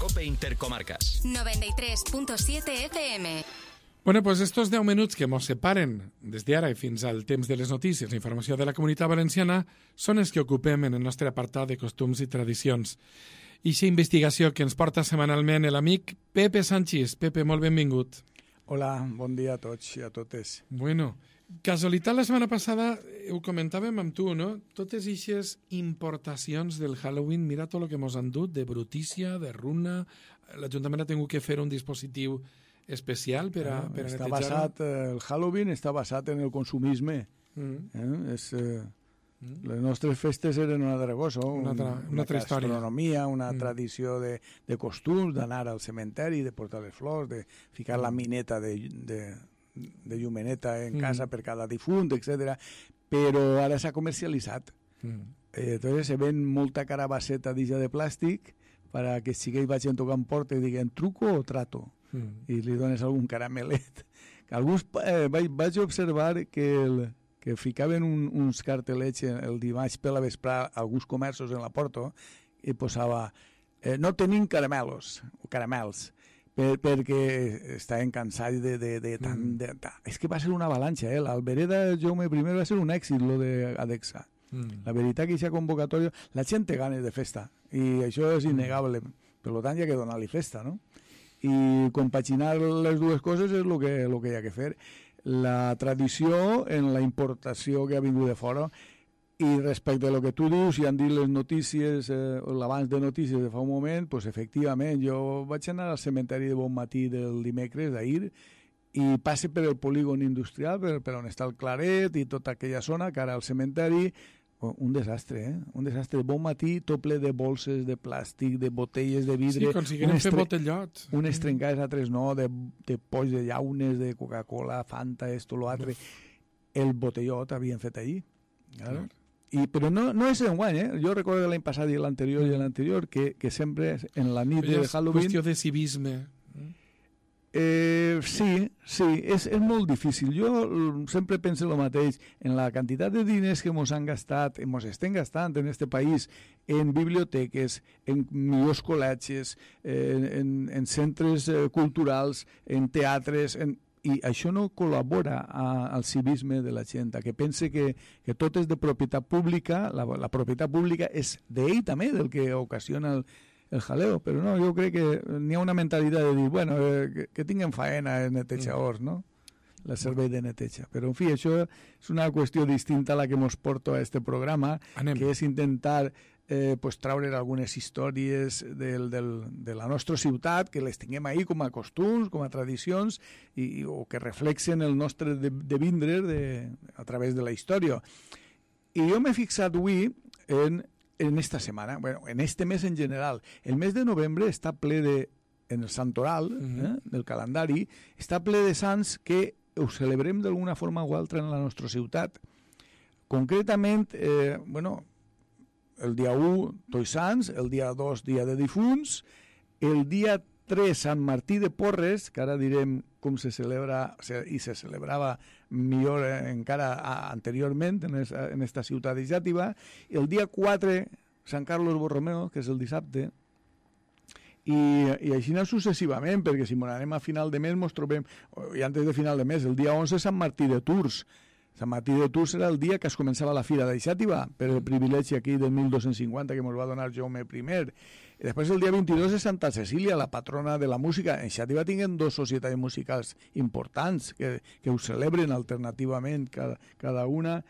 Cope Intercomarcas. 93.7 FM. Bueno, pues estos 10 minuts que mos separen des d'ara i fins al temps de les notícies i informació de la Comunitat Valenciana són els que ocupem en el nostre apartat de costums i tradicions. I aquesta investigació que ens porta setmanalment l'amic Pepe Sanchis. Pepe, molt benvingut. Hola, bon dia a tots i a totes. Bueno, casualitat, la setmana passada ho comentàvem amb tu, no? Totes aquestes importacions del Halloween, mira tot el que mos han dut, de brutícia, de runa. L'Ajuntament ha tingut que fer un dispositiu especial per a netejar. El Halloween està basat en el consumisme. Les nostres festes eren una altra cosa, una altra història. Gastronomia, una tradició de costums, d'anar al cementeri, de portar les flors, de ficar la mineta de llumeneta en casa per cada difunt, etc. Però ara s'ha comercialitzat. Entonces se ven molta carabasseta d'illa de plàstic para que si ells vagin tocant porta i diguen truco o trato, i li dones algun caramelet. Alguns vaig observar que ficaven uns cartelets el dimarts per la vesprà alguns comerços en la porta i posava no tenim caramelos o caramels, perquè estaven cansats de tant... És que va ser una avalanxa, l'Albereda Jaume I va ser un èxit, lo de Adexa. La veritat que aquesta convocatòria, la gent té ganes de festa, i això és innegable, per tant hi ha que donar-li festa, no? I compaginar les dues coses és el que hi ha que fer. La tradició en la importació que ha vingut de fora, i respecte a lo que tu dius, i han dit les notícies, l'abans de notícies de fa un moment, pues efectivament, jo vaig anar al cementeri de Bonmatí del dimecres, d'ahir, i passe per el polígon industrial, per on està el Claret i tota aquella zona, cara al cementeri. Un desastre, un desastre. Bon matí, tot ple de bolses de plàstic, de botelles de vidre. Sí, aconseguirem fer botellots. Unes trencades, altres no, de polls de llaunes, de Coca-Cola, Fanta, esto, lo altre. El botellot havien fet ahir. Claro. Però no és enguany, Jo recordo l'any passat i l'anterior que sempre en la nit de Halloween... És qüestió de civisme. Sí, és molt difícil. Jo sempre penso el mateix, en la quantitat de diners que mos han gastat, mos estem gastant en este país, en biblioteques, en millors col·legis, en centres culturals, en teatres, i això no col·labora al civisme de la gent, que pense que tot és de propietat pública, la propietat pública és d'ell també, del que ocasiona el jaleo, però no, jo crec que n'hi ha una mentalitat de dir, bueno, que tinguin faena els netejadors, no? El servei de neteja. Però, en fi, això és una qüestió distinta a la que ens porta a este programa, que és intentar traure algunes històries de la nostra ciutat, que les tinguem ahí com a costums, com a tradicions, o que reflexen el nostre de vindre a través de la història. I jo m'he fixat avui en esta setmana, en este mes en general. El mes de novembre està ple en el santoral del calendari, està ple de sants que ho celebrem d'alguna forma o altra en la nostra ciutat. Concretament, el dia 1, Tots Sants, el dia 2, Dia de Difunts, el dia 3, Sant Martí de Porres, que ara direm com se celebra i se celebrava millor encara anteriorment en esta ciutat de Xàtiva, el dia 4, Sant Carlos Borromeo, que és el dissabte, i així anar successivament, perquè si anem a final de mes ens trobem, i antes de final de mes, el dia 11, Sant Martí de Tours. Sant Martí de Tours era el dia que es començava la Fira de Xàtiva, per el privilegi aquí del 1250 que ens va donar Jaume I. I després el dia 22 és Santa Cecília, la patrona de la música. En Xàtiva tinguen dues societats musicals importants que ho celebren alternativament, cada una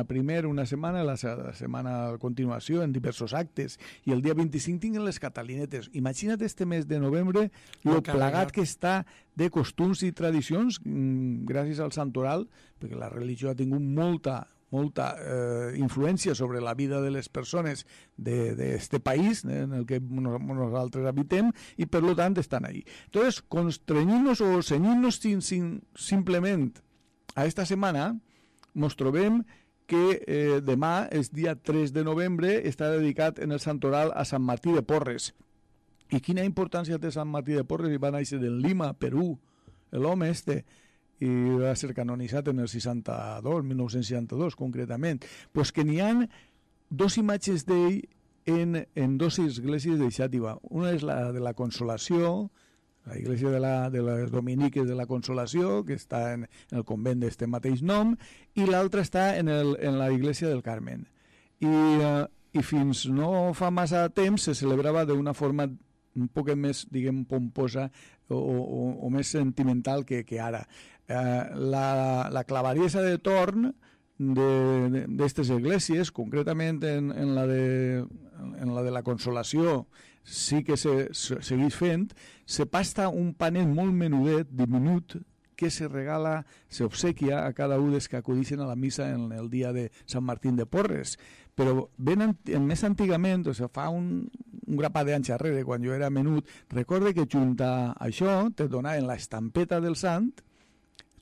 primera, una setmana, la setmana a continuació, en diversos actes. I el dia 25 tinguen les catalinetes. Imagina't este mes de novembre, lo plagat que està de costums i tradicions, gràcies al santoral, perquè la religió ha tingut molta influència sobre la vida de les persones d'este país en el que nosaltres habitem, i per tant estan ahí. Entonces, constrenyir-nos o cenyir-nos simplement a esta setmana, ens trobem que demà, el dia 3 de novembre, està dedicat en el santoral a Sant Martí de Porres. I quina importància té Sant Martí de Porres? Va néixer en Lima, Perú, l'home i va ser canonitzat en el 1962 concretament. Pues que n'hi ha dos imatges d'ell en dos esglésies de Xàtiva. Una és la de la Consolació, la iglesia de les Dominiques de la Consolació, que està en el convent d'este mateix nom, i l'altra està en la iglesia del Carmen. I fins no fa massa temps se celebrava d'una forma un poc més, diguem, pomposa o més sentimental que ara. La clavariesa de torn d'estes esglésies, concretament en la de la Consolació, sí que se segueix fent, se pasta un panell molt menudet, diminut, que se regala, se obsequia a cada un dels que acudixen a la missa en el dia de Sant Martín de Porres. Però més antigament, o sigui, fa un grapat d'anys darrere, quan jo era menut, recorde que junt a això te donaven l'estampeta del sant,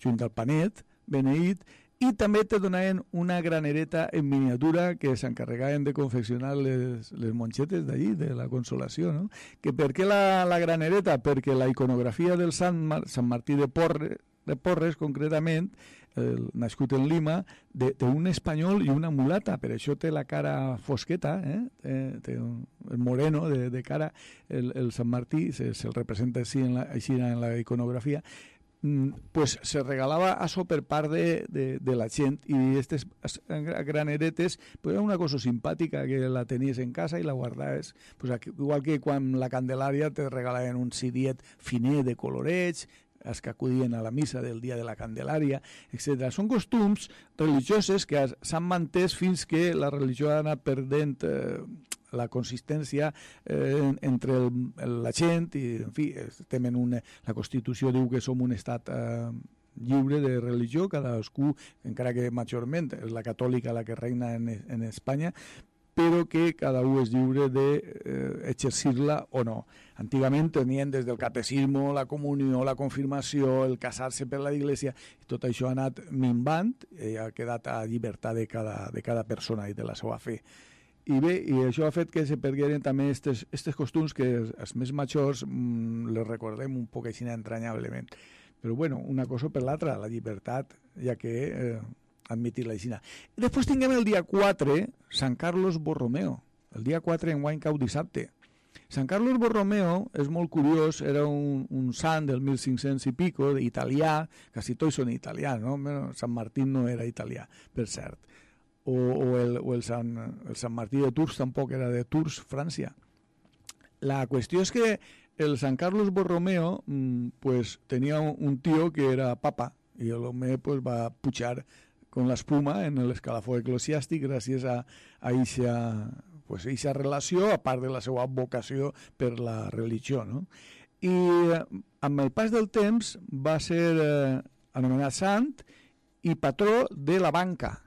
junt al panet, beneït, i també te donaven una granereta en miniatura que s'encarregaven de confeccionar les monxetes d'allí, de la Consolació, no? Que per què la granereta? Perquè la iconografia del Sant Martí de Porres, concretament, nascut en Lima, té un espanyol i una mulata, per això té la cara fosqueta, té el moreno de cara, el Sant Martí, se'l representa així en la iconografia, pues se regalava això per part de la gent, i aquestes graneretes pues era una cosa simpàtica, que la tenies en casa i la guardaves, pues igual que quan la Candelària te regalaven un cidiet finet de colorets, els que acudien a la missa del dia de la Candelària, etc. Són costums religiosos que s'han mantès fins que la religió ha anat perdent la consistència entre la gent, i en fi, la Constitució diu que som un estat lliure de religió, cadascú, encara que majorment és la catòlica la que regna en Espanya, però que cada un és lliure d'exercir-la o no. Antigament tenien des del catecismo, la comunió, la confirmació, el casar-se per la Iglesia, i tot això ha anat minvant i ha quedat a llibertat de cada persona i de la seva fe. I bé, i això ha fet que se pergueren també aquests costums que els més majors les recordem un poc així entranyablement. Però bueno, una cosa per l'altra, la llibertat, ja que admitir-la així. Després tinguem el dia 4, Sant Carlos Borromeo. El dia 4 enguany cau dissabte. Sant Carlos Borromeo és molt curiós, era un sant del 1500 i pico, italià, quasi tots són italians, no? Sant Martín no era italià, per cert. O el Sant Martí de Tours tampoc era de Tours, França. La qüestió és que el Sant Carlos Borromeo pues, tenia un tío que era papa, i l'home pues, va pujar con la espuma en l'escalafó eclesiàstic gràcies a aquesta relació, a part de la seva vocació per la religió. No? I amb el pas del temps va ser anomenat sant i patró de la banca.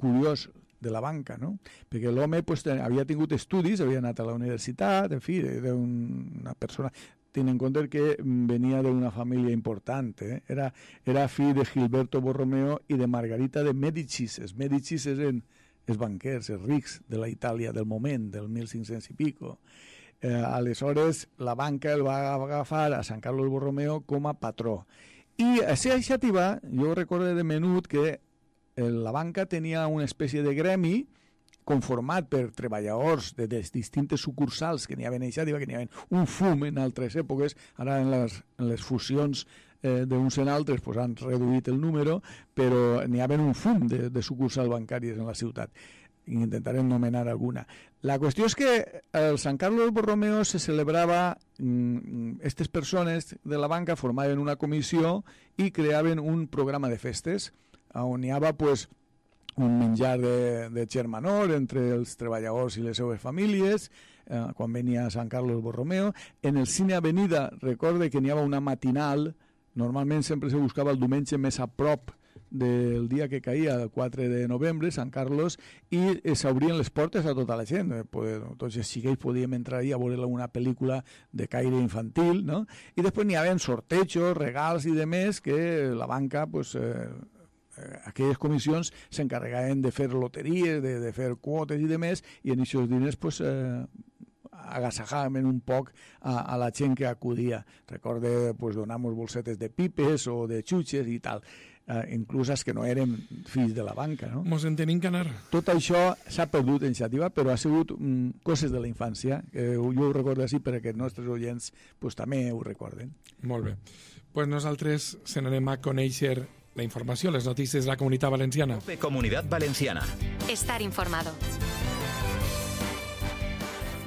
Curiós, de la banca, no? Perquè l'home pues, havia tingut estudis, havia anat a la universitat, en fi, era una persona... Ten en compte que venia d'una família important. Era fill de Gilberto Borromeo i de Margarita de Mèdicis. Els Mèdicis eren els banquers, els rics de la Itàlia del moment, del 1500 i pico. Aleshores, la banca el va agafar a Sant Carlos Borromeo com a patró. I a Xàtiva, jo recordo de menut que la banca tenia una espècie de gremi conformat per treballadors de distintes sucursals que n'hi havia a Xàtiva, que n'hi havia un fum en altres èpoques, ara en les fusions d'uns en altres pues, han reduït el número, però n'hi havia un fum de sucursals bancàries en la ciutat. Intentarem nomenar alguna. La qüestió és que el Sant Carlos Borromeo se celebrava, aquestes persones de la banca formaven una comissió i creaven un programa de festes on hi havia pues, un menjar de germanor entre els treballadors i les seves famílies, quan venia Sant Carlos Borromeo. En el Cine Avenida, recorde que n'hi havia una matinal, normalment sempre se buscava el diumenge més a prop del dia que caïa, el 4 de novembre, Sant Carlos, i s'obrien les portes a tota la gent. Tots els xiquets podíem entrar ahí a veure una pel·lícula de caire infantil, no? I després n'hi havia sortejos, regals i demés que la banca, pues, aquelles comissions s'encarregaven de fer loteries, de fer quotes i demés, i en aquests diners pues, agasajaven un poc a la gent que acudia. Recorde pues, donar-nos bolsetes de pipes o de xutxes i tal. inclús els que no eren fills de la banca. No? Mos en tenim que anar. Tot això s'ha perdut en iniciativa, però ha sigut coses de la infància. Jo ho recordo així perquè els nostres oients pues, també ho recorden. Molt bé. Pues nosaltres se n'anem a conèixer la informació, les notícies de la Comunitat Valenciana. Comunitat Valenciana. Estar informado.